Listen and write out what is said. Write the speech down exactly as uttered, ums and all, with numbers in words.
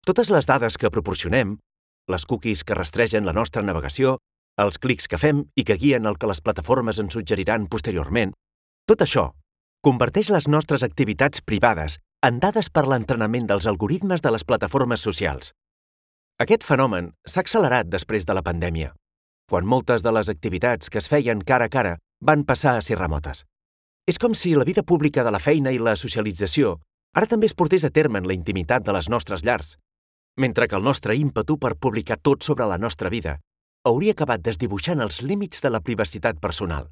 Totes les dades que proporcionem, les cookies que rastregen la nostra navegació, els clics que fem i que guien el que les plataformes ens suggeriran posteriorment, tot això converteix les nostres activitats privades en dades per l'entrenament dels algoritmes de les plataformes socials. Aquest fenomen s'ha accelerat després de la pandèmia, quan moltes de les activitats que es feien cara a cara van passar a ser remotes. És com si la vida pública de la feina i la socialització ara també es portés a terme en la intimitat de les nostres llars, mentre que el nostre ímpetu per publicar tot sobre la nostra vida hauria acabat desdibuixant els límits de la privacitat personal.